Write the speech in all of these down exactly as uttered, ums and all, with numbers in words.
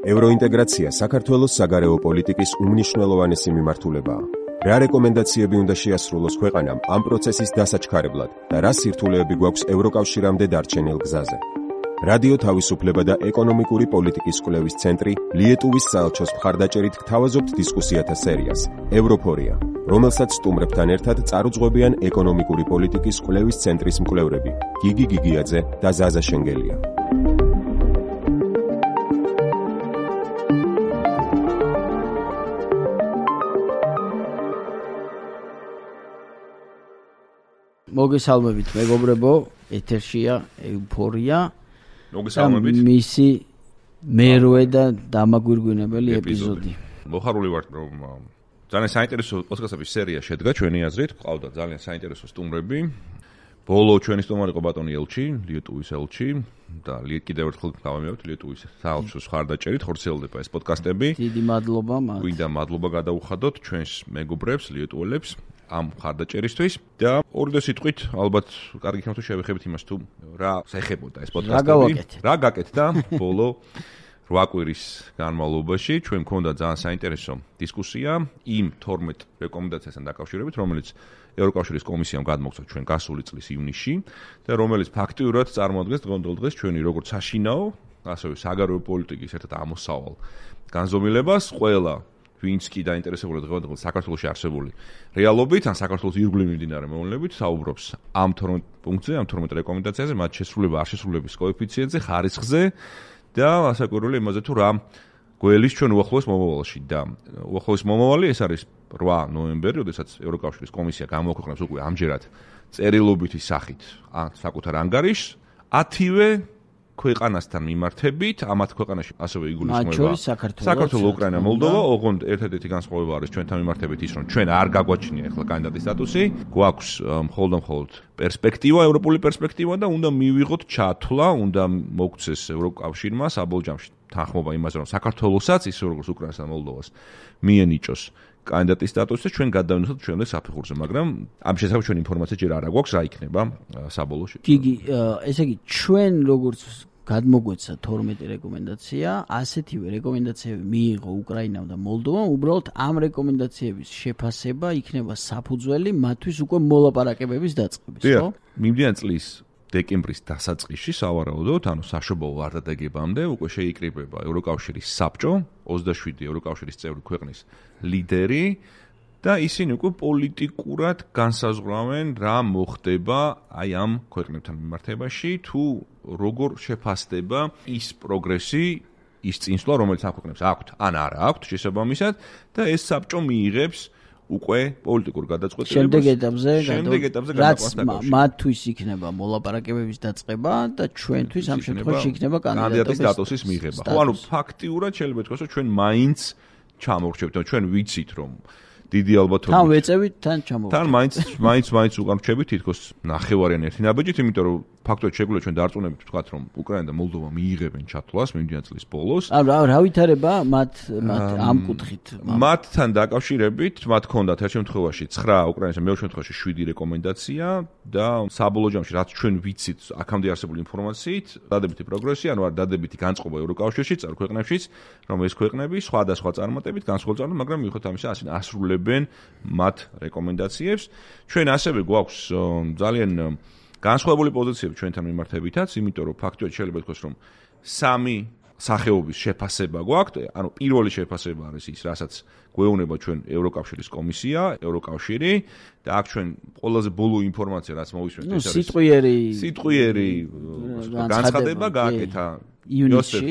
ევროინტეგრაცია საქართველოს საგარეო პოლიტიკის უმნიშვნელოვანესი მიმართულებაა. რა რეკომენდაციები უნდა შეასრულოს ქვეყანამ ამ პროცესის დასაჩქარებლად და რა სირთულეები გვაქვს ევროკავშირამდე დარჩენილ გზაზე. რადიო თავისუფლება და ეკონომიკური პოლიტიკის კვლევის ცენტრი ლიეტუვის საელჩოს მხარდაჭერით გთავაზობთ დისკუსიათა სერიას ევროფორია, რომელსაც სტუმრებთან ერთად წარუძღვებიან ეკონომიკური პოლიტიკის კვლევის ცენტრის მკვლევრები გიგი გიგიაძე და ზაზა შენგელია. მოგესალმებით მეგობრებო, ეთერშია ეუფორია. მოგესალმებით. მისი მერვე და დამაგვირგვინებელი ეპიზოდი. მოხარული ვართ, რომ ძალიან საინტერესო პოდკასტების სერია შედგა ჩვენი აზრით. ყავდა ძალიან საინტერესო სტუმრები. ბოლო ჩვენი სტუმარი იყო ბატონი ელჩი, ლიეტუვის ელჩი და კიდევ ერთხელ გავამეორებ ლიეტუვის საელჩოს მხარდაჭერით ხორციელდება ეს პოდკასტები. დიდი მადლობა მათ. გვინდა მადლობა გადაუხადოთ ჩვენს მეგობრებს, ლიეტუელებს ამ მხარდაჭერისთვის და ორი სიტყვით ალბათ კარგი იქნება თუ შევეხებით იმას თუ რა შეეხებოდა ეს პოდკასტები. რა გაკეთდა ბოლო რვა კვირის განმავლობაში. ჩვენ მქონდა ძალიან საინტერესო დისკუსია იმ თორმეტ რეკომენდაციასთან დაკავშირებით, რომელიც ევროკავშირის კომისიამ გადმოგცა ჩვენ გასული წლის ივნისში და რომელიც ფაქტიურად წარმოადგენს დღევანდელ დღეს ჩვენი როგორც საშინაო, ასევე საგარეო პოლიტიკის ერთ-ერთ ამოსავალ განზომილებას. ყველა ვინც კი დაინტერესებულია დღევანდელ საქართველოში არსებული რეალობით, ან საქართველოს ირგვლივ მიმდინარე მოვლენებით, საუბრობს ამ თორმეტ პუნქტზე, ამ თორმეტ რეკომენდაციაზე, მათ შესრულება, არ შესრულების კოეფიციენტზე, ხარისხზე და ასაკურველი იმაზე თუ რა გველის ჩვენ უახლოეს მომავალში და უახლოეს მომავალი ეს არის რვა ნოემბერი, როდესაც ევროკავშირის კომისია გამოაქვეყნებს უკვე ამჯერად წერილობითი სახით ან საკუთარ ანგარიშს ათივე ქვეყანასთან მიმართებით, ამათ ქვეყანაში ასევე იგულისხმება საქართველოს, უკრაინა, მოლდოვა, ოღონდ ერთადერთი განსხვავება არის ჩვენთან მიმართებით ის, რომ ჩვენ არ გაგვაჩნია ახლა კანდიდატის სტატუსი, გვაქვს მხოლოდ და მხოლოდ პერსპექტივა, ევროპული პერსპექტივა და უნდა მივიღოთ ჩათვლა, უნდა მოგცეს ევროკავშირმა საბოლჯამში თანხმობა იმაზე, რომ საქართველოსაც, ისე როგორც უკრაინას და მოლდოვას მიენიჭოს კანდიდატის სტატუსი, ჩვენ გადავინახოთ ჩვენამდე საფეხურზე, მაგრამ ამ შესახებ ჩვენ ინფორმაცია ჯერ არ აქვს, რა იქნება საბოლოო შედეგი. გიგი, ესე იგი, ჩვენ როგორც გადმოგვეცა თორმეტი რეკომენდაცია, ასეთივე რეკომენდაციები მიიღო უკრაინამ და მოლდოვამ, უბრალოდ ამ რეკომენდაციების შეფასება იქნება საფუძველი მათთვის უკვე მოლაპარაკებების დაწყების, ხო? მიმდინარე წლის დეკემბრის დასაწყისში სავარაუდოდ, ანუ საშობაო ვარდადეგებამდე უკვე შეიკრიბება ევროკავშირის საბჭო, ოცდაშვიდი ევროკავშირის წევრი ქვეყნის ლიდერი და ისინი უკვე პოლიტიკურად განსაზღვრავენ რა მოხდება აი ამ ქვეყნებთან მიმართებაში, თუ როგორ შეფასდება ის პროგრესი, ის წინსვლა, რომელიც ამ ქვეყნებს აქვთ, ან არა აქვთ შესაბამისად და ეს საბჭო მიიღებს უკვე პოლიტიკურ გადაწყვეტილებას. შემდეგ ეტაპზე, შემდეგ ეტაპზე გადაყვანს. მათთვის იქნება მოლაპარაკებების დაწყება და ჩვენთვის ამ შემთხვევაში იქნება კანდიდატის სტატუსის მიღება. ხო, ანუ ფაქტიურად შეიძლება ითქვას, რომ ჩვენ მაინც ჩამოვრჩევთ, ჩვენ ვიცით, რომ დიდი ალბათობით თან ვეწევით, თან ჩამოვრჩევთ. თან მაინც მაინც მაინც უკან რჩებით თითქოს ნახევარიან ერთი ნაბეჯით, იმიტომ რომ ფაქტობრივად შეგვიძლია ჩვენ დარწმუნებით ვთქვათ, რომ უკრაინა და მოლდოვა მიიღებენ ჩათვლას მიმდინარე წლის ბოლოს. ანუ რა ვითარება მათ მათ ამ კუთხით? მათთან დაკავშირებით, მათ ჰქონდათ ერთ შემთხვევაში ცხრა უკრაინას და მეორე შემთხვევაში შვიდი რეკომენდაცია და საბოლოო ჯამში რაც ჩვენ ვიცით აქამდე არსებული ინფორმაციით, დადებითი პროგრესი, ანუ არ დადებითი განწყობა ევროკავშირში, წევრ ქვეყნებშიც, რომ ეს ქვეყნები სხვადასხვა წარმატებით განსხვავებული, მაგრამ მიუხედავად ამისა, ასენ ასრულებენ მათ რეკომენდაციებს. ჩვენ ასევე გვაქვს ძალიან განსხვავებული პოზიციები ჩვენთან მიმართებითაც, იმიტომ რომ ფაქტობრივად შეიძლება ითქვას, რომ სამი სახეობის შეფასება გვაქვს, ანუ პირველი შეფასება არის ის, რასაც გვეუბნება ჩვენ ევროკავშირის კომისია, ევროკავშირი და აქ ჩვენ ყველაზე ბოლო ინფორმაცია, რაც მოვისმენთ, ეს არის სიტყვიერი სიტყვიერი განცხადება გააკეთა იოსებ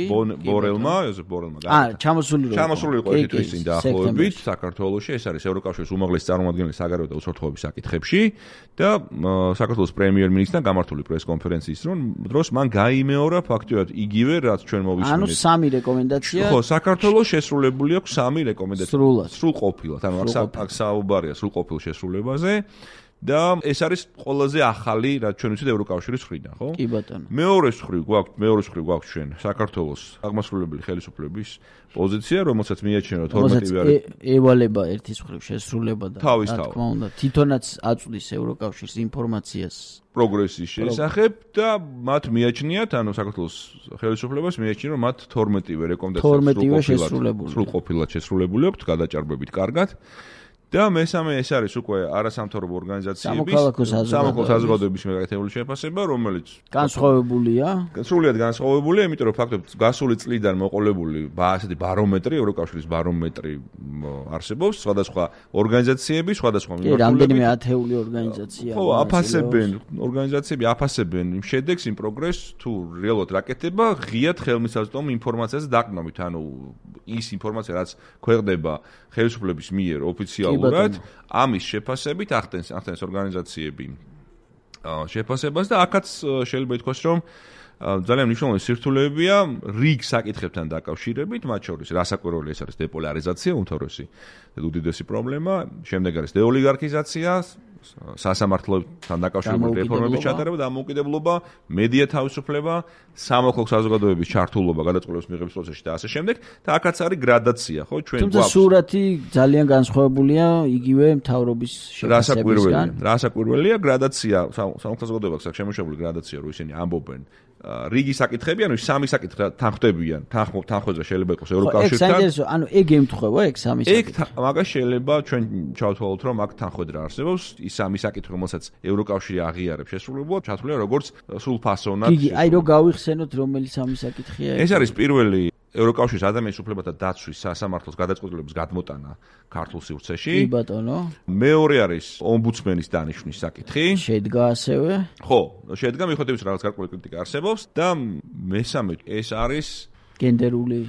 ბორელმა, იოსებ ბორელმა გააკეთა. აა, ჩამოსული იყო. ჩამოსული იყო ერთი თვის წინ დაახლოებით საქართველოში, ეს არის ევროკავშირის უმაღლესი წარმომადგენელი საგარეო და უსაფრთხოების საკითხებში და საქართველოს პრემიერ-მინისტრთან გამართული პრეს-კონფერენციის დროს მან გაიმეორა ფაქტობრივად იგივე, რაც ჩვენ მოვისმენთ. ანუ სამი რეკომენდაცია. ხო, საქართველოს შესრულებული აქვს სამი რეკომენდაცია. სრულად. სრულყოფილად, ანუ აქ აქ საუბარია სრულყოფილ შესრულებაზე. და ეს არის ყველაზე ახალი, რაც ჩვენ ვიცით ევროკავშირის მხრიდან, ხო? კი ბატონო. მეორე მხრივ გვაქვს, მეორე მხრივ გვაქვს ჩვენ საქართველოს აღმასრულებელი ხელისუფლების პოზიცია, რომელსაც მიაჩნია რომ თორმეტივე არის ევალება ერთის მხრივ შესრულება და რა თქმა უნდა, თვითონაც აწვდის ევროკავშირს ინფორმაციას პროგრესის შესახებ და მათ მიაჩნიათ, ანუ საქართველოს ხელისუფლებას მიაჩნია რომ მათ თორმეტივე რეკომენდაცია სრულყოფილად შესრულებული აქვს გადაჭარბებით კარგად. და მესამე ეს არის უკვე არასამთავრობო ორგანიზაციების სამოქალაქო საზოგადოების მეკეთებული შეფასება, რომელიც განსხვავებულია. სრულიად განსხვავებულია, იმიტომ რომ ფაქტობრივად გასული წლიდან მოყოლებული ასეთი ბარომეტრი, ევროკავშირის ბარომეტრი არსებობს, სხვადასხვა ორგანიზაციები, სხვადასხვა მიმართულებით. კი, რამდენიმე ათეული ორგანიზაცია. ხო, აფასებენ, ორგანიზაციები აფასებენ იმ შედეგს, იმ პროგრესს, თუ რეალურად რა კეთდება, ღიად ხელმისაწვდომ ინფორმაციაზე დაყრდნობით, ანუ ის ინფორმაცია, რაც ქვეყნდება ხელისუფლების მიერ ოფიციალურად ამის შეფასებით ახდენს ახდენს ორგანიზაციები შეფასებას და აქაც შეიძლება ითქვას რომ ძალიან მნიშვნელოვანი სირთულეებია რიგ საკითხებთან დაკავშირებით, მათ შორის რასაკვირველი ეს არის დეპოლარიზაცია, უმთავრესი და უდიდესი პრობლემა, შემდეგ არის დეოლიგარქიზაცია, სასამართლოთან დაკავშირებული რეფორმების ჩატარება და დამოუკიდებლობა, მედია თავისუფლება, სამოქალაქო საზოგადოების ჩართულობა გადაწყვეტილების მიღების პროცესში და ასე შემდეგ. და აქაც არის გრადაცია, ხო, ჩვენ გვაქვს. თუმცა სურათი ძალიან განსხვავებულია იგივე მთავრობის შეფასებისგან. რასაკვირველია, გრადაცია, სამოქალაქო საზოგადოებას აქვს შემოშებული გრადაცია, რომ ისინი ამბობენ რიგი საკითხები, ანუ სამი საკითხი თანხმდებიან, თანხმდება შეიძლება იყოს ევროკავშირთან. ეგ საინტერესო, ანუ ეგ ემთხვევა ეგ სამი საკითხი. ეგ მაგას შეიძლება ჩვენ ჩავთვალოთ, რომ აქ თანხმედრა არსებობს, ის სამი საკითხი, რომელსაც ევროკავშირი აღიარებს შესრულებულად, ჩათვლია როგორც სრულფასოვნად. იგი, აი რო გავიხსენოთ, რომელი სამი საკითხია ეს? ეს არის პირველი ევროკავშირის ადამიანის უფლებათა დაცვის სასამართლოს გადაწყვეტილების გადმოტანა ქართულ სივრცეში. კი ბატონო. მეორე არის ომბუდსმენის დანიშვნის საკითხი. შედგა ასევე? ხო, შედგა მიუხედავად რაღაც გარკვეული კრიტიკა არსებობს და მესამე ეს არის გენდერული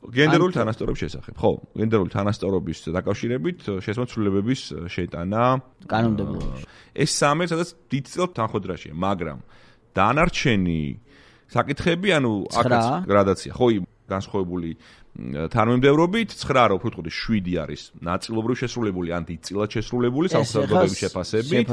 გენდერული თანასწორობის შესახებ. ხო, გენდერული თანასწორობის დაკავშირებით შესაძლებლობების შეტანა კანონმდებლობაში. ეს სამი სადაც დიდწილად თანხმედრაშია, მაგრამ დანარჩენი საკითხები, ანუ აქაც გრადაცია. ხო, განსხვავებული თანამიმდევრობით ცხრა რა უფრო ვთქვი შვიდი არის ნაწილობრივ შესრულებული ან დიდწილად შესრულებული სამსახურების შეფასებით.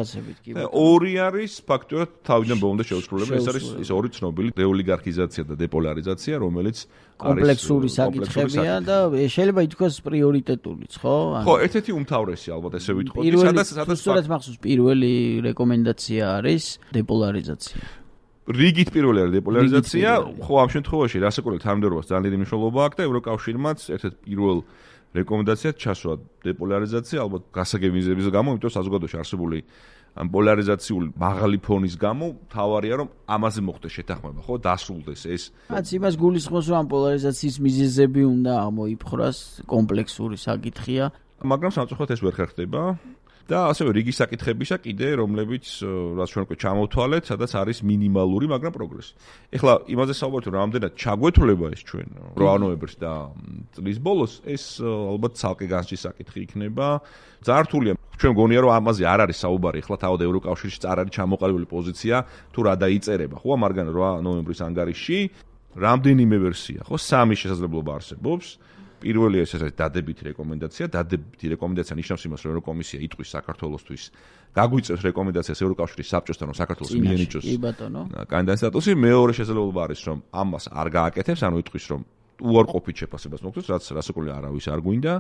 ორი არის ფაქტობრივად თავიდან ბოლომდე შეუსრულებელი. ეს არის ის ორი ცნობილი დეოლიგარქიზაცია და დეპოლარიზაცია, რომელიც კომპლექსური საკითხებია და შეიძლება ითქვას პრიორიტეტულიც, ხო? ხო, ერთ-ერთი უმთავრესი ალბათ ესე ვიტყოდი, სადაც სადაც სწორედ მახსოვს პირველი რეკომენდაცია არის დეპოლარიზაცია. რიგით პირველი არის დეპოლარიზაცია, ხო ამ შემთხვევაში რასაკვირველი თანამდებობას ძალიან დიდი მნიშვნელობა აქვს და ევროკავშირმაც ერთ-ერთ პირველ რეკომენდაციად ჩასვა დეპოლარიზაცია, ალბათ გასაგებინების გამო, იმიტომ საზოგადოებაში არსებული ამ პოლარიზაციული მაღალი ფონის გამო თავარია რომ ამაზე მოხდეს შეთანხმება, ხო, დასრულდეს ეს. რაც იმას გულისხმობს, რომ ამ პოლარიზაციის მიზეზები უნდა ამოიფხრას, კომპლექსური საკითხია, მაგრამ სამწუხაროდ ეს ვერ ხერხდება. და ასევე რიგი საკითხებისა კიდე, რომლებიც რაც ჩვენ უკვე ჩამოვთვალეთ, სადაც არის მინიმალური, მაგრამ პროგრესი. ეხლა იმაზე საუბართ, რომ რამდენად ჩაგვეთვლება ეს ჩვენ რვა ნოემბერს და წლის ბოლოს, ეს ალბათ ცალკე განსჯის საკითხი იქნება. ძართულია, ჩვენ მგონია, რომ ამაზე არ არის საუბარი, ეხლა თავად ევროკავშირში არ არის ჩამოყალიბებული პოზიცია, თუ რა დაიწერება, ხო, მაგრამ რვა ნოემბრის ანგარიშში რამდენიმე ვერსია, ხო, სამი შესაძლებლობა არსებობს. პირველი ეს არის დადებითი რეკომენდაცია, დადებითი რეკომენდაცია ნიშნავს იმას, რომ ევროკომისია იტყვის საქართველოსთვის გაგვიწევს რეკომენდაციას ევროკავშირის საბჭოსთან, რომ საქართველოს მიენიჭოს კანდიდატის სტატუსი. მეორე შესაძლებლობა არის, რომ ამას არ გააკეთებს, ანუ იტყვის, რომ უარყოფით შეფასებას მოხდეს, რაც რასაკვირველია არავის არ გვინდა.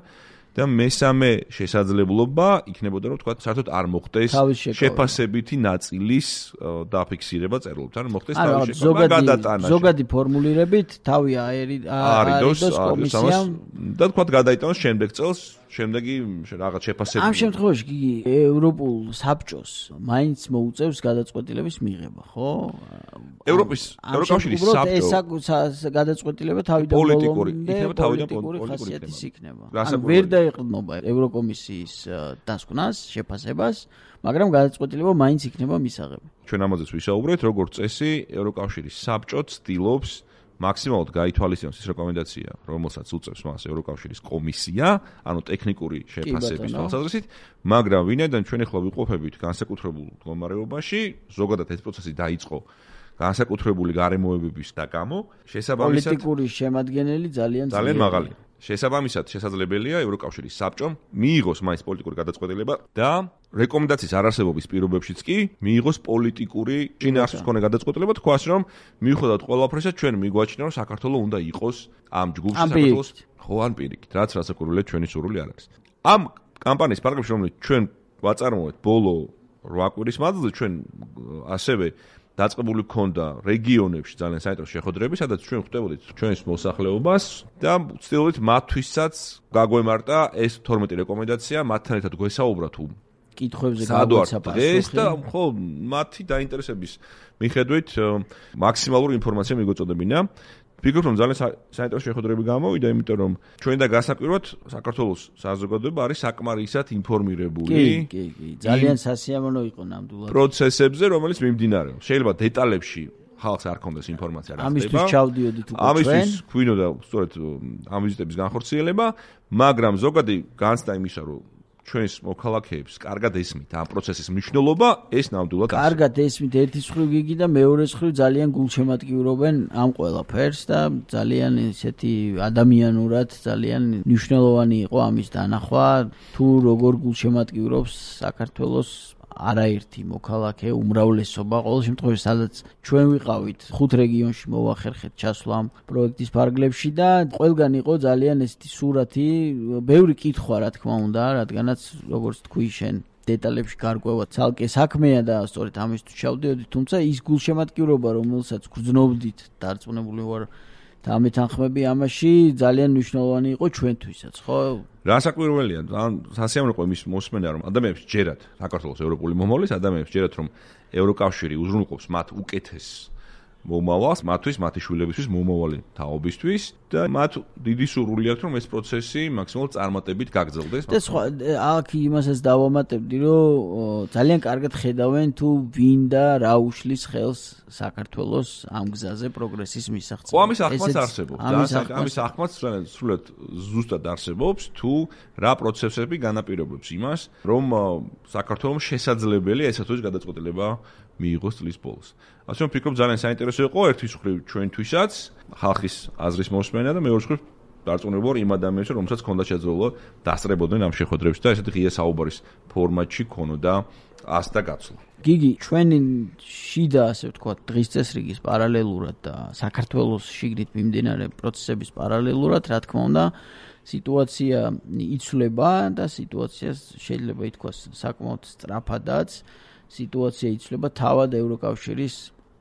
და მესამე შესაძლებლობა იქნებოდა, რომ თქვა, საერთოდ არ მოხდეს შეფასებითი ნაწილის დაფიქსირება წერილობთ, ანუ მოხდეს თავის შეფასება გადატანა. ზოგადი ფორმულირებით თავი აერიდოს კომისიამ და თქვა გადაიტანოს შემდეგ წელს, შემდეგი რაღაც შეფასება. ამ შემთხვევაში კი ევროპულ საბჭოს მაინც მოუწევს გადაწყვეტილების მიღება, ხო? ევროპის ევროკავშირის საბჭო ეს გადაწყვეტილება თავიდან ბოლომდე პოლიტიკური ხასიათის იქნება. ვერ დაეყრდნობა ევროკომისიის დასკვნას, შეფასებას, მაგრამ გადაწყვეტილება მაინც იქნება მისაღები. ჩვენ ამაზეც ვისაუბრეთ, როგორც წესი, ევროკავშირის საბჭო ცდილობს მაქსიმალურად გაითვალისწინოს ის რეკომენდაცია, რომელსაც უწევს მას ევროკავშირის კომისია, ანუ ტექნიკური შეფასების თვალსაზრისით, მაგრამ ვინაიდან ჩვენ ახლა ვიყოფებით განსაკუთრებულ მდგომარეობაში, ზოგადად ეს პროცესი დაიწყო განსაკუთრებული გარემოებების და გამო, შესაბამისად პოლიტიკური შემადგენელი ძალიან ძალიან მაღალი. შესაბამისად შესაძლებელია ევროკავშირის საბჭომ მიიღოს მაინც პოლიტიკური გადაწყვეტილება და რეკომენდაციის არარსებობის პირობებშიც კი მიიღოს პოლიტიკური შინაარსის მქონე გადაწყვეტილება, თქვას რომ მიუხედავად ყველაფრისა ჩვენ მიგვაჩნია რომ საქართველოს უნდა იყოს ამ ჯგუფში საქართველოს ხო ან პირიქით, რაც რასაკვირველია ჩვენი სურვილი არ არის. ამ კამპანიის ფარგლებში რომელიც ჩვენ ვაწარმოეთ ბოლო რვა კვირის მანძილზე ჩვენ ასევე დაწყებული ქონდა რეგიონებში ძალიან საინტერესო შეხვედრები, სადაც ჩვენ ხვდებოდით ჩვენს მოსახლეობას და ვცდილობდით მათთვისაც გაგვემართა ეს თორმეტი რეკომენდაცია, მათთან ერთად გვესაუბრა თუ კითხვებზე გაგვეცა პასუხი და ხო მათი დაინტერესების მიხედვით მაქსიმალური ინფორმაცია მიგვეწოდებინა. ვფიქრობ, რომ ძალიან საინტერესო შეხვედრები გამოვიდა, იმიტომ რომ ჩვენ და გასაკვირვად საქართველოს საზოგადოება არის საკმარისად ინფორმირებული. კი, კი, კი, ძალიან სასიამოვნო იყო ნამდვილად. პროცესებზე, რომელიც მიმდინარეობს. შეიძლება დეტალებში ხალხს არ ქონდეს ინფორმაცია რა ხდება. ამისთვის ჩავდიოდით უკვე ჩვენ. ამისთვის გვინდა სწორედ ამ ვიზიტების განხორციელება, მაგრამ ზოგადი განცდა იმისა, რომ ჩვენს მოქალაქეებს კარგად ესმით ამ პროცესის მნიშვნელობა, ეს ნამდვილად არის. კარგად ესმით ერთის მხრივ გიგი და მეორეს მხრივ ძალიან გულშემატკივრობენ ამ ყველაფერს და ძალიან ესეთი ადამიანურად ძალიან მნიშვნელოვანი იყო ამის დანახვა, თუ როგორ გულშემატკივრობს საქართველოს არაერთი მოქალაქე, უმრავლესობა, ყოველ შემთხვევაში სადაც ჩვენ ვიყავით, ხუთ რეგიონში მოვახერხეთ ჩასვლა ამ პროექტის ფარგლებში და ყველგან იყო ძალიან ესეთი სურათი, ბევრი კითხვა რა თქმა უნდა, რადგანაც როგორც თქვი შენ დეტალებში გარკვევა ცალკე საქმეა და სწორედ ამისთვის ჩავდიოდით, თუმცა ის გულშემატკივრობა, რომელსაც გრძნობდით, დარწმუნებული ვარ და ამეთანხმები ამაში ძალიან მნიშვნელოვანი იყო ჩვენთვისაც, ხო? რასაკვირველია, ან სასიამოვნო იყო იმის მოსმენა, რომ ადამიანებს ჯერათ საქართველოს ევროპული მომავლის, ადამიანებს ჯერათ რომ ევროკავშირი უზრუნველყოფს მათ უკეთეს მომავალს, მათთვის, მათი შვილებისთვის, მომავალი თაობისთვის და მათ დიდი სურვილი აქვს, რომ ეს პროცესი მაქსიმალურად წარმატებით გაგრძელდეს. და სხვა აქ იმასაც დავამატებდი, რომ ძალიან კარგად ხედავენ თუ ვინ და რა უშლის ხელს საქართველოს ამ გზაზე პროგრესის მისაღწევად. ხო, ამის ახმაც არსებობს. ამის ახმაც სრულად ზუსტად არსებობს, თუ რა პროცესები განაპირობებს იმას, რომ საქართველოს შესაძლებელია ესა თუ ის გადაწყვეტილება მიიღოს წლის ბოლოს. ასე რომ ვფიქრობ ძალიან საინტერესო იყო ერთის მხრივ ჩვენთვისაც ხალხის აზრის მოსმენა და მეორე მხრივ დარწმუნებული ვარ იმ ადამიანებს, რომელსაც ჰქონდა შეძლება დასწრებოდნენ ამ შეხვედრებში და ესეთი ღია საუბრის ფორმატში ქონოდა ასდა გაცვლა. გიგი, ჩვენი შიდა, ასე ვთქვათ, დღის წესრიგის პარალელურად და საქართველოს შიგნით მიმდინარე პროცესების პარალელურად, რა თქმა უნდა, სიტუაცია იცვლება და სიტუაციას შეიძლება ითქვას საკმაოდ სწრაფადაც სიტუაცია იცვლება თავად ევროკავშირის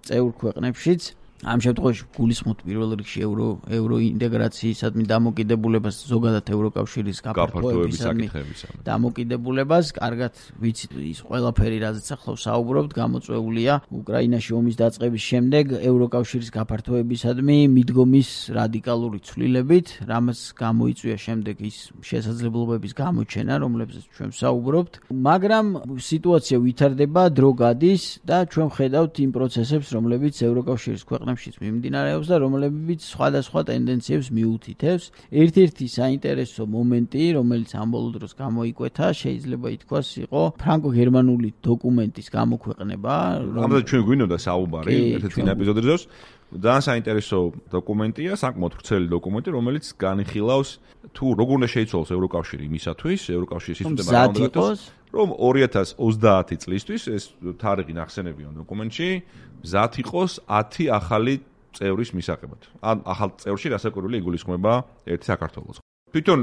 წევრ ქვეყნებშიც. ამ შემთხვევაში გულისხმობთ პირველ რიგში ევრო ევროინტეგრაციისადმი დამოკიდებულებას, ზოგადად ევროკავშირის გაფართოებისადმი დამოკიდებულებას. კარგად ვიცით ის ყველაფერი, რაზეც ახლა ვსაუბრობთ, გამოწვეულია უკრაინაში ომის დაწყების შემდეგ ევროკავშირის გაფართოებისადმი მიდგომის რადიკალური ცვლილებით, რამაც გამოიწვია შემდეგ ის შესაძლებლობების გამოჩენა, რომლებზეც ჩვენ ვსაუბრობთ. მაგრამ სიტუაცია ვითარდება, დრო გადის და ჩვენ ვხედავთ იმ პროცესებს, რომლებიც ევროკავშირის ქვეყნებშიც მიმდინარეობს და რომლებიც სხვადასხვა ტენდენციებს მიუთითებს. ერთ-ერთი საინტერესო მომენტი, რომელიც ამ ბოლო დროს გამოიკვეთა, შეიძლება ითქვას, იყო ფრანკო-გერმანული დოკუმენტის გამოქვეყნება. ამაზე ჩვენ გვინდოდა საუბარი ერთ-ერთ წინა ეპიზოდზე. ძალიან საინტერესო დოკუმენტია, საკმაოდ ვრცელი დოკუმენტი, რომელიც განიხილავს თუ როგორ უნდა შეიცვალოს ევროკავშირი იმისათვის, ევროკავშირის სისტემა რა უნდა გახდეს, რომ ორი ათას ოცდაათი წლისთვის ეს თარიღი ნახსენებია დოკუმენტში, მზად იყოს ათი ახალი წევრის მისაღებად. ან ახალ წევრში რასაკვირველი იგულისხმება ერთი საქართველოს. თვითონ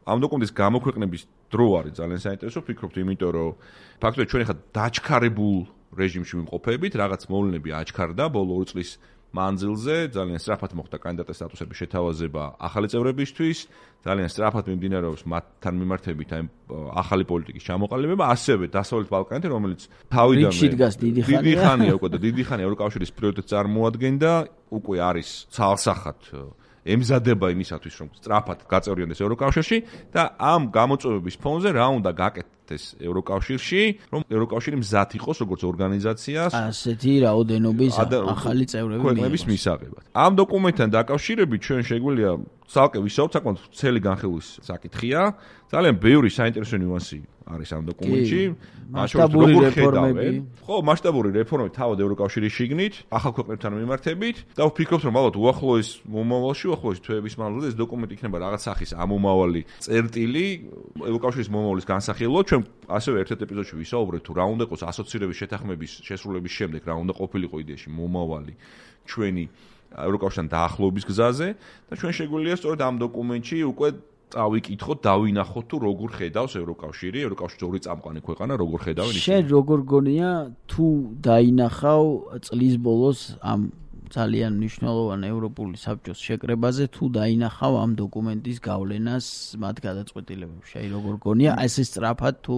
ამ დოკუმენტის გამოქვეყნების დრო არის ძალიან საინტერესო, ვფიქრობთ, იმიტომ რომ ფაქტობრივად ჩვენ ახლა დაჩქარებულ რეჟიმში ვიმყოფებით, რაღაც მოვლენები აჩქარდა ბოლო ორი წლის მანძილზე, ძალიან სწრაფად მოხდა კანდიდატის სტატუსების შეთავაზება ახალი წევრებისთვის, ძალიან სწრაფად მიმდინარეობს მათთან მიმართებით აი ახალი პოლიტიკის ჩამოყალიბება, ასევე დასავლეთ ბალკანეთი, რომელიც თავიდანვე დიდი ხანია უკვე და დიდი ხანია ევროკავშირის პრიორიტეტს წარმოადგენდა, უკვე არის ცალსახად ემზადება იმისათვის, რომ სწრაფად გაწევრიანდეს ევროკავშირში და ამ გამოწვევების ფონზე რა უნდა გაკეთდეს ევროკავშირში, რომ ევროკავშირი მზად იყოს როგორც ორგანიზაციას ასეთი რაოდენობის ახალი წევრების მისაღებად. ამ დოკუმენტთან დაკავშირებით ჩვენ შეგვიძლია ცალკე ვისაუბროთ, საკმაოდ ვრცელი განხილვის საკითხია, ძალიან ბევრი საინტერესო ნიუანსი არის ამ დოკუმენტში. მასშტაბური რეფორმები. ხო, მასშტაბური რეფორმები თავად ევროკავშირის შიგნით, ახალ ქვეყნებთან მიმართებით და ვფიქრობ, რომ ალბათ უახლოეს მომავალში, უახლოეს თვეების მანძილზე ეს დოკუმენტი იქნება რაღაც სახის ამომავალი წერტილი ევროკავშირის მომავლის განსახილვად. ჩვენ ასევე ერთ-ერთ ეპიზოდში ვისაუბრეთ თუ რა უნდა იყოს ასოცირების შეთანხმების შესრულების შემდეგ, რა უნდა ყოფილიყო იდეაში მომავალი ჩვენი ევროკავშირთან დაახლოების გზაზე და ჩვენ შეგვიძლია სწორედ ამ დოკუმენტში უკვე წავიკითხოთ, დავინახოთ თუ როგორ ხედავს ევროკავშირი, ევროკავშირის ორი წამყვანი ქვეყანა როგორ ხედავენ ისინი. შენ როგორ გონია თუ დაინახავ წლის ბოლოს ამ ძალიან მნიშვნელოვან ევროპული საბჭოს შეკრებაზე თუ დაინახავ ამ დოკუმენტის გავლენას მათ გადაწყვეტილებებში. აი როგორ გონია ესე სწრაფად თუ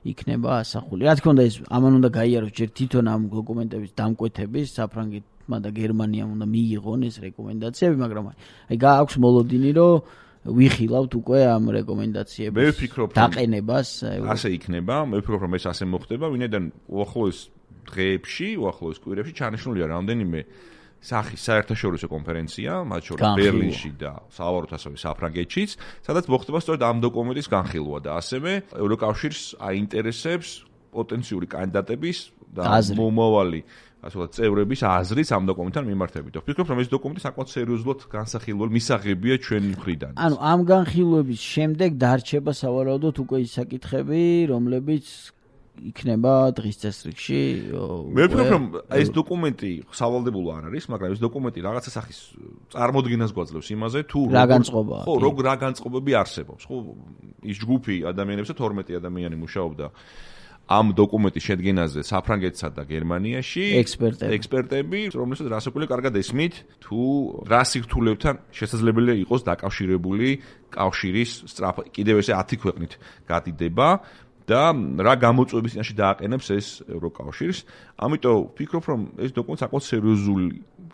იქნება ასახული. რა თქმა უნდა ეს ამან უნდა გაიაროს ჯერ თვითონ ამ დოკუმენტების დამკვეთების საფრანგეთმა და გერმანიამ უნდა მიიღონ ეს რეკომენდაციები, მაგრამ აი გააქვს მოლოდინი რომ ვიხილავთ უკვე ამ რეკომენდაციების დაყენებას. ასე იქნება, მე ვფიქრობ რომ ეს ასე მოხდება, ვინაიდან უახლოეს დღეებში, უახლოეს კვირებში ჩანიშნულია რამდენიმე სახის საერთაშორისო კონფერენცია, მათ შორის ბერლინში და სავარაუდოდ ასევე საფრანგეთშიც, სადაც მოხდება სწორედ ამ დოკუმენტის განხილვა და ასევე ევროკავშირს აინტერესებს პოტენციური კანდიდატების და მომავალი ასე ვთქვათ, წევრების აზრიც ამ დოკუმენტთან მიმართებით. ვფიქრობ, რომ ეს დოკუმენტი საკმაოდ სერიოზულად განსახილველი მისაღებია ჩვენი მხრიდან. ანუ ამ განხილვების შემდეგ დარჩება სავარაუდოდ უკვე ის საკითხები, რომლებიც იქნება დღის წესრიგში. მე ვფიქრობ, რომ ეს დოკუმენტი სავალდებულო არ არის, მაგრამ ეს დოკუმენტი რაღაცა სახის წარმოდგენას გვაძლევს იმაზე, თუ რა განწყობაა. ხო, როგორ რა განწყობები არსებობს. ხო, ის ჯგუფი ადამიანებისა თორმეტი ადამიანი მუშაობდა ამ დოკუმენტის შედგენაზე საფრანგეთსა და გერმანიაში ექსპერტები, ექსპერტები, რომელსაც რასაკვირველია კარგად ესმით, თუ რა სირთულეებთან შესაძლებელია იყოს დაკავშირებული კავშირის სწრაფ კიდევ ესე ათი ქვეყნით გადიდება და რა გამოწვევების წინაშე დააყენებს ეს ევროკავშირს. ამიტომ ვფიქრობ, რომ ეს დოკუმენტი საკმაოდ სერიოზული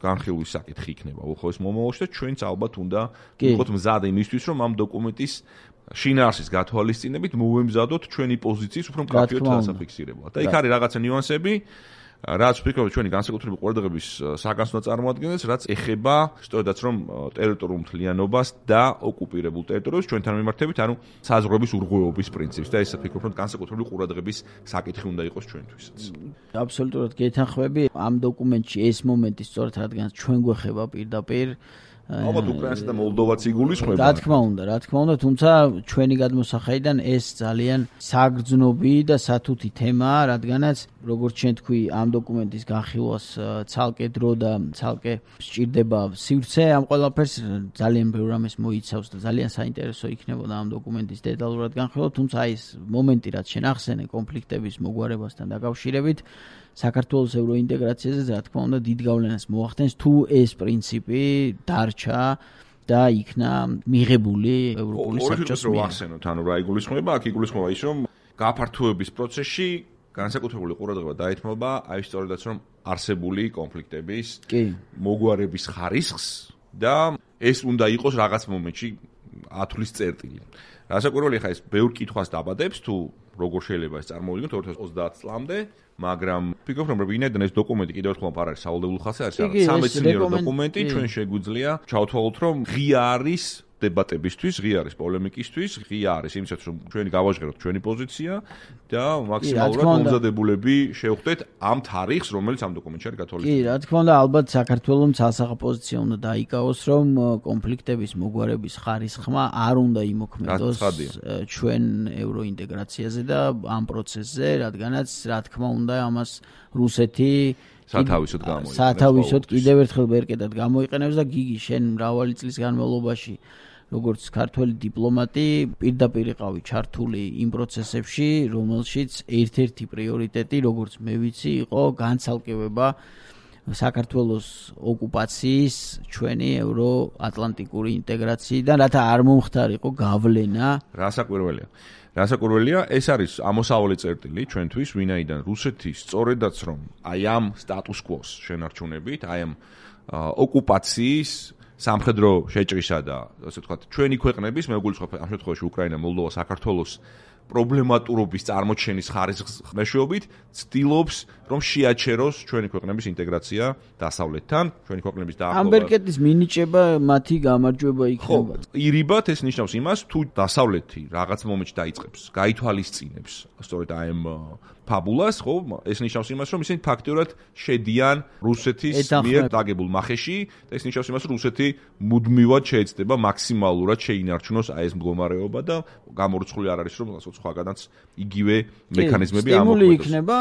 განხილვის საკითხი იქნება უახლოეს მომავალში და ჩვენც ალბათ უნდა ვიყოთ მზად იმისთვის, რომ ამ დოკუმენტის შინაარსის გათვალისწინებით მოვემზადოთ ჩვენი პოზიციის უფრო მკაფიოდ დასაფიქსირებლად. და იქ არის რაღაცა ნიუანსები, რაც ვფიქრობ, ჩვენი განსაკუთრებული ყურადღების საგანს უნდა წარმოადგენდეს, რაც ეხება სწორედაც რომ ტერიტორიულ მთლიანობას და ოკუპირებულ ტერიტორიებს ჩვენთან მიმართებით, ანუ საზღვრების ურღვეობის პრინციპს და ეს ვფიქრობ, რომ განსაკუთრებული ყურადღების საკითხი უნდა იყოს ჩვენთვისაც. აბსოლუტურად გეთანხმები. ამ დოკუმენტში ეს მომენტი სწორედ რადგან ჩვენ გვეხება პირდაპირ ალბათ უკრაინასა და მოლდოვაც იგულისხმება. რა თქმა უნდა, რა თქმა უნდა, თუმცა ჩვენი გადმოსახედიდან ეს ძალიან საგრძნობი და სათუთი თემაა, რადგანაც როგორც ჩვენ თქვი, ამ დოკუმენტის განხილვას ცალკე დრო და ცალკე სჭირდება სივრცე, ამ ყველაფერს ძალიან ბევრ რამეს მოიცავს და ძალიან საინტერესო იქნებოდა ამ დოკუმენტის დეტალურად განხილვა, თუმცა ეს მომენტი, რაც შენ ახსენე კონფლიქტების მოგვარებასთან დაკავშირებით, საქართველოს ევროინტეგრაციაზე რა თქმა უნდა დიდ გავლენას მოახდენს თუ ეს პრინციპი დარჩა და იქნა მიღებული ევროპული საბჭოს მიერ. ახსენოთ, ანუ რა იგულისხმება, აქ იგულისხმება ის, რომ გაფართოების პროცესში განსაკუთრებული ყურადღება დაეთმობა აი სწორედაც რომ არსებული კონფლიქტების მოგვარების ხარისხს და ეს უნდა იყოს რაღაც მომენტში ათვლის წერტილი. რასაკვირველია, ხა ეს ბევრ კითხვას დაბადებს თუ როგორ შეიძლება ეს წარმოვიდგინოთ ორი ათას ოცდაათ წლამდე, მაგრამ ვფიქრობ, რომ ვინაიდან ეს დოკუმენტი კიდევ ერთხელ არ არის სავალდებულო ხასიათის, არის რაღაც სამეცნიერო დოკუმენტი, ჩვენ შეგვიძლია ჩავთვალოთ, რომ ღია არის დებატებისთვის, ღია არის პოლემიკისთვის, ღია არის იმისათვის, რომ ჩვენი გავაჟღეროთ ჩვენი პოზიცია და მაქსიმალურად მომზადებულები შევხვდეთ ამ თარიღს, რომელიც ამ დოკუმენტში არის გათვალისწინებული. კი, რა თქმა უნდა, ალბათ საქართველოს ცალსახა პოზიცია უნდა დაიკავოს, რომ კონფლიქტების მოგვარების ხარისხმა არ უნდა იმოქმედოს ჩვენ ევროინტეგრაციაზე და ამ პროცესზე, რადგანაც რა თქმა უნდა, ამას რუსეთი სათავისოდ გამოიყენებს. სათავისოდ კიდევ ერთხელ ბერკეტად გამოიყენებს და გიგი შენ მრავალი წლის განმავლობაში როგორც ქართველი დიპლომატი პირდაპირ იყავი ჩართული იმ პროცესებში, რომელშიც ერთ-ერთი პრიორიტეტი, როგორც მე ვიცი, იყო განცალკევება საქართველოს ოკუპაციის ჩვენი ევროატლანტიკური ინტეგრაციიდან, რათა არ მომხდარიყო გავლენა. რასაკვირველია. რასაკვირველია, ეს არის ამოსავალი წერტილი ჩვენთვის, ვინაიდან რუსეთი სწორედაც რომ აი ამ სტატუს კვოს შენარჩუნებით, აი ამ ოკუპაციის სამხედრო შეჭრისა და ასე ვთქვათ, ჩვენი ქვეყნების, მე ვგულისხმობ ამ შემთხვევაში უკრაინა, მოლდოვა, საქართველოს პრობლემატურობის წარმოჩენის ხარისხის მეშვეობით ცდილობს რომ შეაჩეროს ჩვენი ქვეყნების ინტეგრაცია დასავლეთთან, ჩვენი ქვეყნების დაახლოება. ამბერკეტის მინიჭება მათი გამარჯვება იქნება. ხო, ირიბად ეს ნიშნავს იმას, თუ დასავლეთი რაღაც მომენტში დაიწყებს, გაითვალისწინებს, სწორედ აი ამ ფაბულას, ხო, ეს ნიშნავს იმას, რომ ისინი ფაქტიურად შედიან რუსეთის მიერ დაგებულ მახეში და ეს ნიშნავს იმას, რომ რუსეთი მუდმივად შეეცდება მაქსიმალურად შეინარჩუნოს აი ეს მდგომარეობა და გამორიცხული არ არის, რომ სხვაგანაც იგივე მექანიზმები ამოქმედოს. სტიმული იქნება,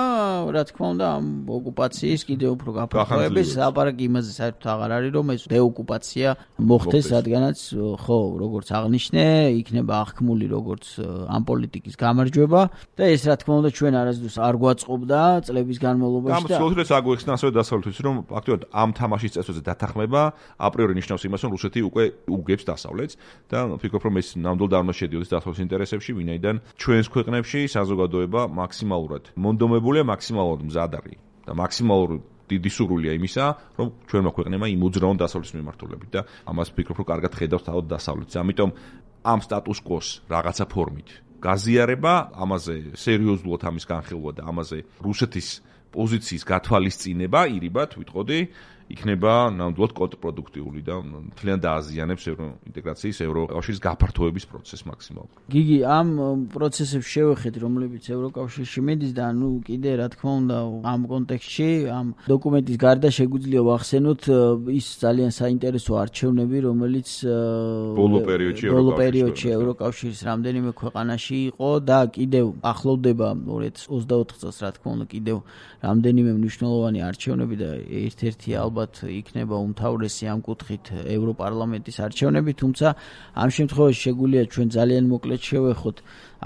რა თქმა უნდა, ამ ოკუპაციის კიდევ უფრო გაფართოების ლაპარაკი იმაზე საერთოდ აღარ არის, რომ ეს დეოკუპაცია მოხდეს, რადგანაც ხო, როგორც აღნიშნე, იქნება აღქმული როგორც ამ პოლიტიკის გამარჯვება და ეს რა თქმა უნდა ჩვენ არასდროს არ გვაწყობდა წლების განმავლობაში და გამოსულეთ აგვიხსნა ასევე დასავლეთის რომ ფაქტობრივად ამ თამაშის წესებზე დათანხმება აპრიორი ნიშნავს იმას რომ რუსეთი უკვე უგებს დასავლეთს და ვფიქრობ რომ ეს ნამდვილად არ უნდა შედიოდეს დასავლეთის ინტერესებში ვინაიდან ჩვენს ქვეყნებში საზოგადოება მაქსიმალურად მონდომებულია მაქსიმალურად მზად არის და მაქსიმალურად დიდი სურვილია იმისა რომ ჩვენმა ქვეყნებმა იმოძრაონ დასავლეთის მიმართულებით და ამას ვფიქრობ რომ კარგად ხედავს თავად დასავლეთს ამიტომ ამ სტატუს კვოს რაღაცა ფორმით გაზიარება, ამაზე სერიოზულად ამის განხილვა და ამაზე რუსეთის პოზიციის გათვალისწინება, ირიბად ვიტყოდი, იქნება ნამდვილად კონტრპროდუქტიული და მთლიან დააზიანებს ევროინტეგრაციის, ევროკავშირის გაფართოების პროცესს მაქსიმალურად. გიგი, ამ პროცესებს შევეხეთ, რომლებიც ევროკავშირში მიდის და ნუ კიდე რა თქმა უნდა, ამ კონტექსტში, ამ დოკუმენტის გარდა შეგვიძლია ვახსენოთ ის ძალიან საინტერესო არჩევნები, რომელიც ბოლო პერიოდში ბოლო პერიოდში ევროკავშირის რამდენიმე ქვეყანაში იყო და კიდევ ახლოვდება ორი ათას ოცდაოთხ წელს, რა თქმა უნდა, კიდევ რამდენიმე მნიშვნელოვანი არჩევნები და ერთ-ერთი ალბათ იქნება უმთავრესი ამ კუთხით ევროპარლამენტის არჩევნები, თუმცა ამ შემთხვევაში შეგვიძლია ჩვენ ძალიან მოკლედ შევეხოთ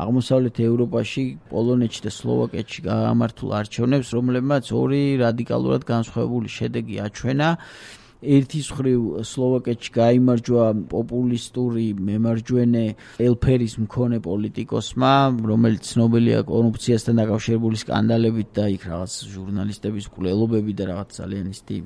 აღმოსავლეთ ევროპაში, პოლონეთში და სლოვაკეთში გამართულ არჩევნებს, რომლებმაც ორი რადიკალურად განსხვავებული შედეგი აჩვენა. ერთის მხრივ სლოვაკეთში გაიმარჯვა პოპულისტური მემარჯვენე ელფერის მქონე პოლიტიკოსმა, რომელიც ცნობილია კორუფციასთან დაკავშირებული სკანდალებით და იქ რაღაც ჟურნალისტების მკვლელობები და რაღაც ძალიან ისეთი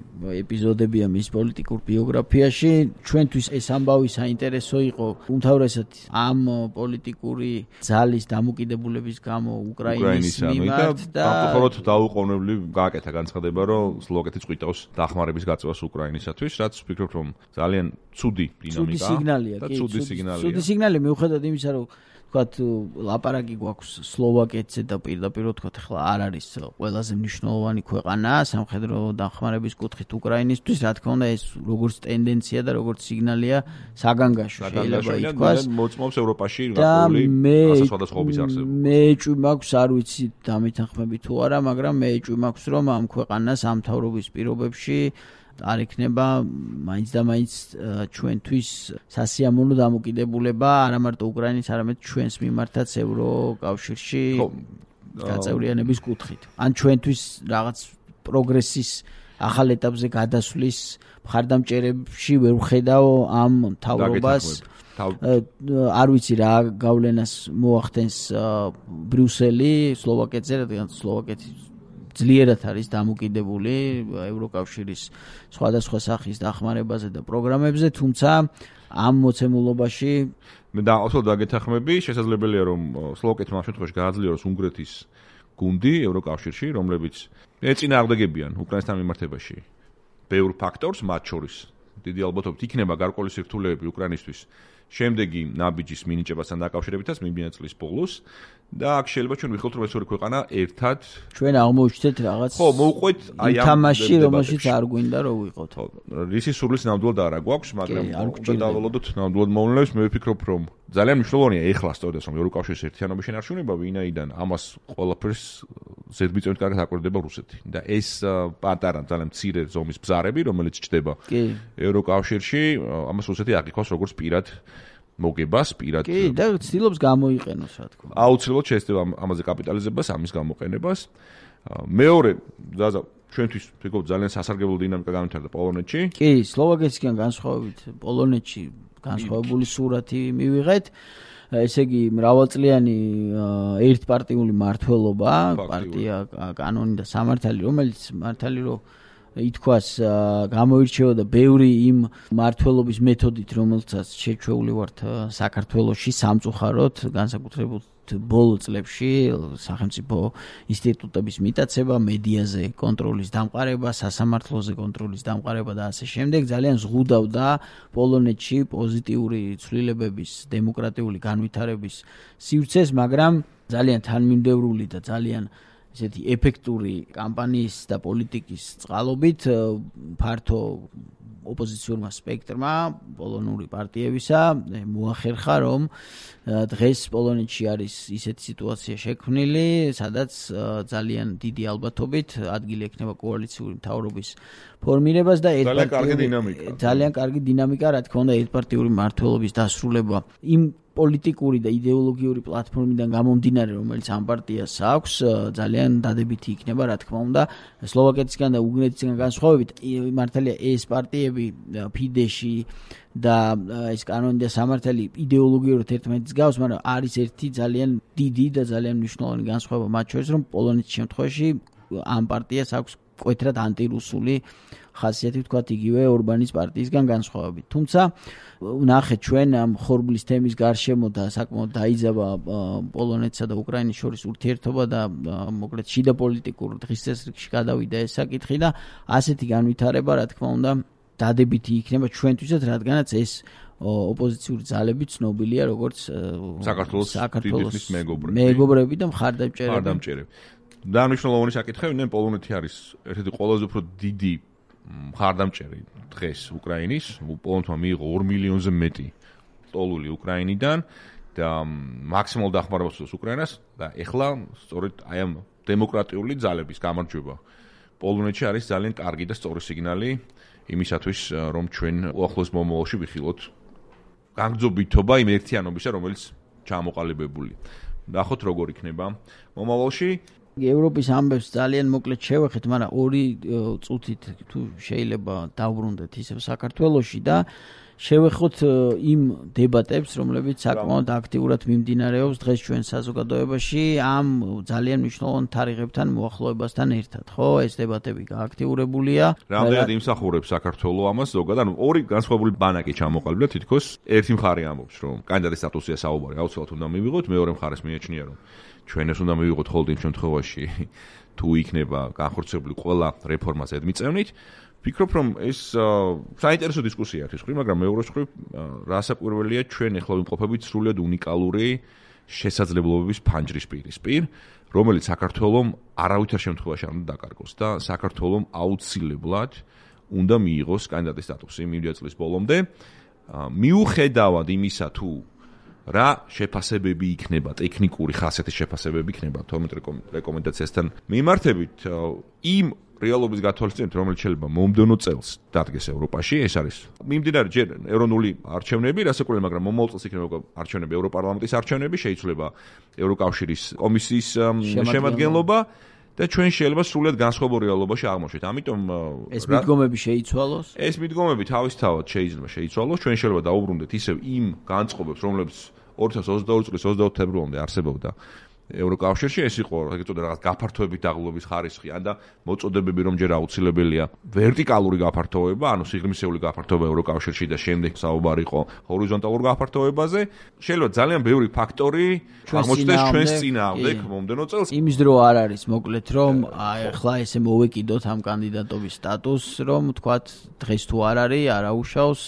ეპიზოდებია მის პოლიტიკურ ბიოგრაფიაში. ჩვენთვის ეს ამბავი საინტერესო იყო უმთავრესად ამ პოლიტიკური ძალის დამოკიდებულების გამო უკრაინის მიმართ და სამწუხაროდ დაუყოვნებლივ გააკეთა განცხადება, რომ სლოვაკეთი წვითავს დახმარების გაწევას უკრაინის თვის ვფიქრობ რომ ძალიან ცუდი დინამიკა და ცუდი სიგნალია. ცუდი სიგნალი მიუხედავად იმისა რომ ვთქვათ ლაპარაკი გვაქვს სლოვაკეთზე და პირდაპირ ვთქვათ ახლა არ არის ყველაზე მნიშვნელოვანი ქვეყანა სამხედრო დახმარების კუთხით უკრაინისთვის, რა თქმა უნდა ეს როგორც ტენდენცია და როგორც სიგნალია საგანგაშო შეიძლება ითქვას მოწმობს ევროპაში რაღაცა სხვადასხვაობის არსებობა. მე ეჭვი მაქვს არ ვიცი დამეთანხმები თუ არა, მაგრამ მე ეჭვი მაქვს რომ ამ ქვეყანას ამ მთავრობის პირობებში არ იქნება მაინც და მაინც ჩვენთვის სასიამოვნო დამოკიდებულება არა მარტო უკრაინის, არამედ ჩვენს მიმართაც ევროკავშირში გაწევრიანების კუთხით. ან ჩვენთვის რაღაც პროგრესის ახალ ეტაპზე გადასვლის მხარდამჭერებში ვერ ვხედავ ამ მთავრობას. არ ვიცი რა გავლენას მოახდენს ბრიუსელი სლოვაკეთზე, რადგან სლოვაკეთი ძლიერად არის დამოკიდებული ევროკავშირის სხვადასხვა სახის დახმარებაზე და პროგრამებზე, თუმცა ამ მოცემულობაში მე დაახლოებით დაგეთახმები, შესაძლებელია რომ სლოვაკეთმა ამ შემთხვევაში გააძლიეროს უნგრეთის გუნდი ევროკავშირში, რომლებიც ეწინააღმდეგებიან უკრაინასთან მიმართებაში ბევრ ფაქტორს, მათ შორის დიდი ალბათობით იქნება გარკვეული სირთულეები უკრაინისთვის შემდეგი ნაბიჯის მინიჭებასთან დაკავშირებითაც მიმდინარე წლის ბოლოს და აქ შეიძლება ჩვენ ვიხილოთ რომ ეს ორი ქვეყანა ერთად ჩვენ აღმოჩნდეთ რაღაც ხო მოვყვეთ აი ამ თამაში რომელშიც არ გვინდა რომ ვიყოთ ხო რისი სურვილს ნამდვილად არ აგვაქვს მაგრამ უნდა დავალოდოთ ნამდვილად მოვლენებს მე ვფიქრობ რომ ძალიან მნიშვნელოვანია ეხლა სწორედ რომ ევროკავშირის ერთიანობის შენარჩუნება ვინაიდან ამას ყველაფერს ზედმიწევნით კარგად აკვირდება რუსეთი და ეს პატარა ძალიან მცირე ზომის ბზარები რომელიც ჩდება ევროკავშირში ამას რუსეთი აღიქვას როგორც პირად მოგებას პირად კი და ცდილობს გამოიყენოს რა თქმა უნდა აუცილებლად შეესწრება ამაზე კაპიტალიზებას ამის გამოყენებას მეორე ზაზა ჩვენთვის ვფიქრობ ძალიან სასარგებლო დინამიკა გამართარდა პოლონეთში კი სლოვაკეთისგან განსხვავებით პოლონეთში განსხვავებული სურათი მივიღეთ ესე იგი მრავალწლიანი ერთპარტიული მმართველობა პარტია კანონი და სამართალი რომელიც მართალი რომ ითქვას გამოირჩეოდა ბევრი იმ მმართველობის მეთოდით რომელსაც შეჩვეული ვართ საქართველოში სამწუხაროდ განსაკუთრებულ ბოლო წლებში სახელმწიფო ინსტიტუტების მიტაცება, მედიაზე კონტროლის დამყარება, სასამართლოზე კონტროლის დამყარება და ასე შემდეგ ძალიან ზღუდავდა პოლონეთში პოზიტიური ცვლილებების, დემოკრატიული განვითარების სივრცეს, მაგრამ ძალიან თანმიმდევრული და ძალიან ესეთი ეფექტური კამპანიის და პოლიტიკის წყალობით ფართო ოპოზიციურმა სპექტრმა პოლონური პარტიებისა მოახერხა, რომ დღეს პოლონეთში არის ისეთი სიტუაცია შექმნილი, სადაც ძალიან დიდი ალბათობით ადგილი ექნება კოალიციური მთავრობის ფორმირებას და ძალიან კარგი დინამიკა. ძალიან კარგი დინამიკა, რა თქმა უნდა, ერთპარტიული მმართველობის დასრულება იმ პოლიტიკური და იდეოლოგიური პლატფორმიდან გამომდინარე, რომელიც ამ პარტიას აქვს, ძალიან დადებითი იქნება, რა თქმა უნდა, სლოვაკეთისგან და უგრეთისგან განსხვავებით, მართალია ეს პარტიები ფიდეში და ეს კანონი და სამართალი იდეოლოგიურად ერთმანეთს გავს, მაგრამ არის ერთი ძალიან დიდი და ძალიან მნიშვნელოვანი განსხვავება მათ შორის, რომ პოლონეთის შემთხვევაში ამ პარტიას აქვს მკვეთრად ანტირუსული ხასიათი, ვთქვათ, იგივე ორბანის პარტიისგან განსხვავებით. თუმცა ვნახეთ ჩვენ ამ ხორბლის თემის გარშემო და საკმაოდ დაიძაბა პოლონეთსა და უკრაინის შორის ურთიერთობა და მოკლედ შიდა პოლიტიკურ დღის წესრიგში გადავიდა ეს საკითხი და ასეთი განვითარება, რა თქმა უნდა, დადებითი იქნება ჩვენთვისაც, რადგანაც ეს ოპოზიციური ძალები ცნობილია როგორც საქართველოს მეგობრები. მეგობრები და მხარდამჭერები. მხარდამჭერები. დანიშნულოვანი საკითხები, ნუ პოლონეთი არის ერთ-ერთი ყველაზე უფრო დიდი მხარდამჭერი დღეს უკრაინის, პოლონეთმა მიიღო ორ მილიონზე მეტი ტოლული უკრაინიდან და მაქსიმალურ დახმარებას უსწრებს უკრაინას და ეხლა სწორედ აი ამ დემოკრატიული ძალების გამარჯვება პოლონეთში არის ძალიან კარგი და სწორი სიგნალი იმისათვის, რომ ჩვენ უახლოეს მომავალში ვიხილოთ განგრძობითობა იმ ერთიანობისა, რომელიც ჩამოყალიბებული. ნახოთ როგორ იქნება მომავალში. ევროპის ამბებს ძალიან მოკლედ შევეხეთ, მაგრამ ორი წუთით თუ შეიძლება დავბრუნდეთ ისევ საქართველოში და შევეხოთ იმ დებატებს, რომლებიც საკმაოდ აქტიურად მიმდინარეობს დღეს ჩვენ საზოგადოებაში ამ ძალიან მნიშვნელოვან თარიღებთან მოახლოებასთან ერთად, ხო? ეს დებატები გააქტიურებულია. რამდენად იმსახურებს საქართველოს ამას ზოგადად, ანუ ორი განსხვავებული ბანაკი ჩამოყალიბდა, თითქოს ერთი მხარე ამბობს, რომ კანდიდატის სტატუსია საუბარი აუცილებლად უნდა მივიღოთ, მეორე მხარეს მიაჩნია, რომ ჩვენ ეს უნდა მივიღოთ ხოლმე იმ შემთხვევაში, თუ იქნება განხორციელებული ყველა რეფორმა ზედმიწევნით. ვფიქრობ, რომ ეს საინტერესო დისკუსია არის ხრი, მაგრამ მეორე მხრივ რასაკვირველია ჩვენ ეხლა ვიმყოფებით სრულიად უნიკალური შესაძლებლობების ფანჯრის პირისპირ, რომელიც საქართველოს არავითარ შემთხვევაში არ უნდა დაკარგოს და საქართველოს აუცილებლად უნდა მიიღოს კანდიდატის სტატუსი მივიდა წლის ბოლომდე. მიუხედავად იმისა, თუ რა შეფასებები იქნება, ტექნიკური ხასიათის შეფასებები იქნება თორმეტ რეკომენდაციასთან მიმართებით იმ რეალობის გათვალისწინებით, რომელიც შეიძლება მომდევნო წელს დადგეს ევროპაში, ეს არის მიმდინარე ჯერ ეროვნული არჩევნები, რასაკვირველია, მაგრამ მომავალ წელს იქნება არჩევნები, ევროპარლამენტის არჩევნები, შეიძლება ევროკავშირის კომისიის შემადგენლობა და ჩვენ შეიძლება სრულიად განსხვავებულ რეალობაში აღმოჩნდეთ. ამიტომ ეს მიდგომები შეიცვალოს? ეს მიდგომები თავისთავად შეიძლება შეიცვალოს. ჩვენ შეიძლება დაუბრუნდეთ ისევ იმ განწყობებს, რომლებიც ორი ათას ოცდაორი წლის ოცდაოთხ თებერვალამდე არსებობდა ევროკავშირში, ეს იყო ეგრეთ წოდებული რაღაც გაფართოებით დაღლობის ხარისხი, ან და მოწოდებები, რომ ჯერ აუცილებელია ვერტიკალური გაფართოება, ანუ სიღრმისეული გაფართოება ევროკავშირში და შემდეგ საუბარი იყო ჰორიზონტალურ გაფართოებაზე. შეიძლება ძალიან ბევრი ფაქტორი აღმოჩნდეს ჩვენს წინააღმდეგ მომდევნო წელს. იმის დრო არ არის, მოკლედ, რომ ახლა ესე მოვეკიდოთ ამ კანდიდატობის სტატუსს, რომ თქვათ დღეს თუ არ არის, არაუშავს.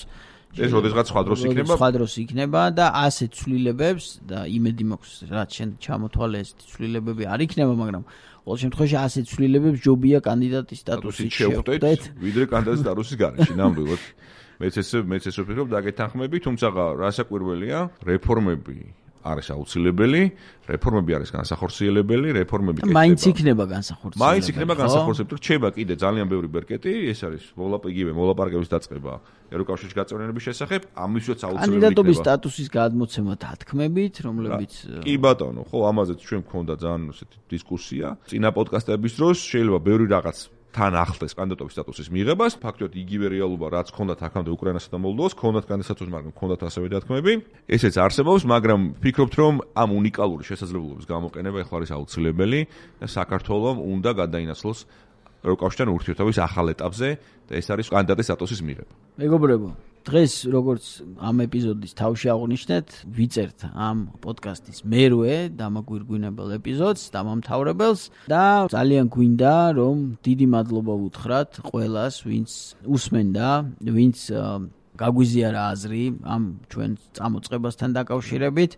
ეს როდესღაც სხვა დროს იქნება, სხვა დროს იქნება და ასეთ ცვლილებებს და იმედი მაქვს, რაც შენ ჩამოთვალე ეს ცვლილებები არ იქნება, მაგრამ ყოველ შემთხვევაში ასეთ ცვლილებებს ჯობია კანდიდატის სტატუსით შევხვდეთ, ვიდრე კანდიდატის სტატუსის გარეშე, ნამდვილად. მეც ესე მეც ესე ვფიქრობ, დაგეთანხმები, თუმცა რასაკვირველია, რეფორმები არის აუცილებელი, რეფორმები არის განსახორციელებელი, რეფორმები კეთდება. მაინც იქნება განსახორციელებელი. მაინც იქნება განსახორციელებელი, რჩება კიდე ძალიან ბევრი ბერკეტი, ეს არის მოლაპარაკებები, მოლაპარაკების დაწყება ევროკავშირის გაწევრიანების შესახებ, ამისვეც აუცილებელი იქნება. კანდიდატობის სტატუსის გადმოცემა თათქმებით, რომლებიც კი ბატონო, ხო, ამაზეც ჩვენ გქონდა ძალიან ესეთი დისკუსია. წინა პოდკასტების დროს შეიძლება ბევრი რაღაც თან ახლდეს კანდიდატობის სტატუსის მიღებას, ფაქტობრივად იგივე რეალობა, რაც ჰქონდათ აქამდე უკრაინასა და მოლდოვას, ჰქონდათ კანდიდატობის სტატუსი, მაგრამ ჰქონდათ ასევე დათქმები. ესეც არსებობს, მაგრამ ვფიქრობთ, რომ ამ უნიკალური შესაძლებლობის გამოყენება ეხლა არის აუცილებელი და საქართველოს უნდა გადაინაცვლოს ევროკავშირთან ურთიერთობის ახალ ეტაპზე და ეს არის კანდიდატის სტატუსის მიღება. მეგობრებო, დღეს როგორც ამ ეპიზოდის თავში აღვნიშნეთ, ვიწერთ ამ პოდკასტის მერვე დამაგვირგვინებელ ეპიზოდს, დამამთავრებელს და ძალიან გვინდა რომ დიდი მადლობა უთხრათ ყველას, ვინც უსმენდა, ვინც გაგვიზიარა აზრი ამ ჩვენ წამოწყებასთან დაკავშირებით.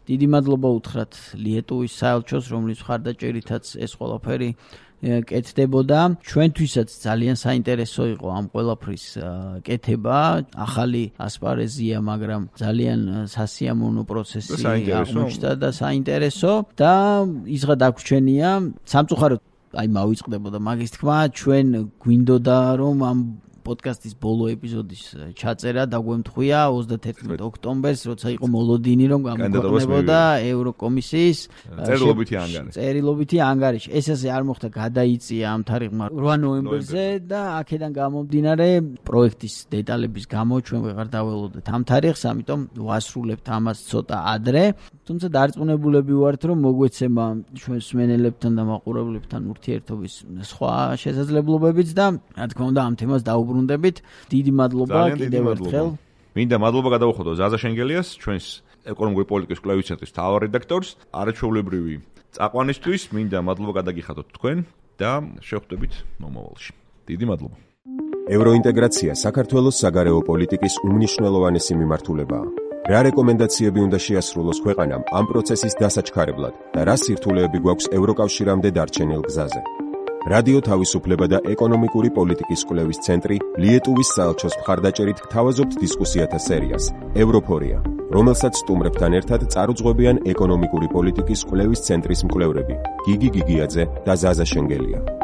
დიდი მადლობა უთხრათ ლიეტუვის საელჩოს, რომლის მხარდაჭერითაც ეს ყველაფერი კეთდებოდა. ჩვენთვისაც ძალიან საინტერესო იყო ამ ყველაფრის კეთება. ახალი ასპარეზია, მაგრამ ძალიან სასიამოვნო პროცესი აღმოჩნდა და საინტერესო და ისღა დაგვრჩენია სამწუხაროდ აი მავიწყდებოდა მაგის თქმა, ჩვენ გვინდოდა რომ ამ პოდკასტის ბოლო ეპიზოდის ჩაწერა დაგვემთხვია ოცდათერთმეტ ოქტომბერს, როცა იყო მოლოდინი რომ გამოქვეყნებოდა ევროკომისიის წერილობითი ანგარიში. წერილობითი ანგარიში. ეს ასე არ მოხდა, გადაიწია ამ თარიღმა რვა ნოემბერზე და აქედან გამომდინარე პროექტის დეტალების გამო ჩვენ ვეღარ დაველოდეთ ამ თარიღს, ამიტომ ვასრულებთ ამას ცოტა ადრე. თუმცა დარწმუნებულები ვართ, რომ მოგვეცემა ჩვენ მსმენელებთან და მაყურებლებთან ურთიერთობის სხვა შესაძლებლობებიც და რა თქმა უნდა ამ თემას დაუბრუნდებით. დიდი მადლობა კიდევ ერთხელ. მინდა მადლობა გადავუხოდო ზაზა შენგელიას, ჩვენს ეკონომიკური პოლიტიკის კვლევის ცენტრის მთავარ რედაქტორს, არაჩვეულებრივი წაყვანისთვის. მინდა მადლობა გადაგიხადოთ თქვენ და შევხვდებით მომავალში. დიდი მადლობა. ევროინტეგრაცია საქართველოს საგარეო პოლიტიკის უმნიშვნელოვანესი მიმართულებაა. რა რეკომენდაციები უნდა შეასრულოს ქვეყანამ ამ პროცესის დასაჩქარებლად და რა სირთულეები გვაქვს ევროკავშირამდე დარჩენილ გზაზე. რადიო თავისუფლება და ეკონომიკური პოლიტიკის კვლევის ცენტრი ლიეტუვის საელჩოს მხარდაჭერით გთავაზობთ დისკუსიათა სერიას ევროფორია, რომელსაც სტუმრებთან ერთად წარუძღვებიან ეკონომიკური პოლიტიკის კვლევის ცენტრის მკვლევრები გიგი გიგიაძე და ზაზა შენგელია.